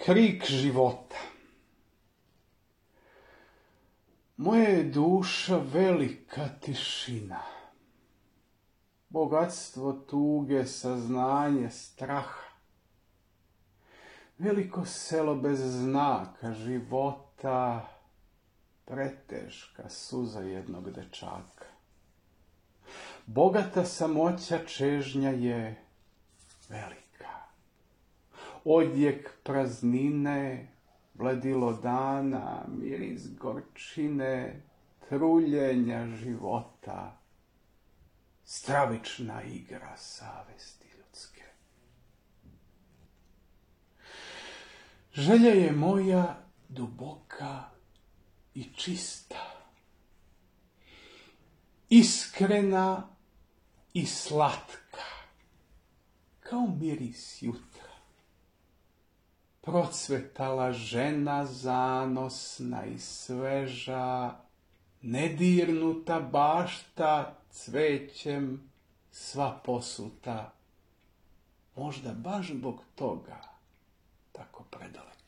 Krik života. Moja je duša velika tišina, bogatstvo tuge, saznanje, straha. Veliko selo bez znaka života, preteška suza jednog dečaka. Bogata samoća čežnja je velika. Odjek praznine, bledilo dana, miris gorčine, truljenja života, stravična igra savesti ljudske. Želja je moja duboka i čista, iskrena i slatka, kao miris jutra. Procvetala žena zanosna i sveža, nedirnuta bašta cvećem sva posuta, možda baš zbog toga tako predaleko.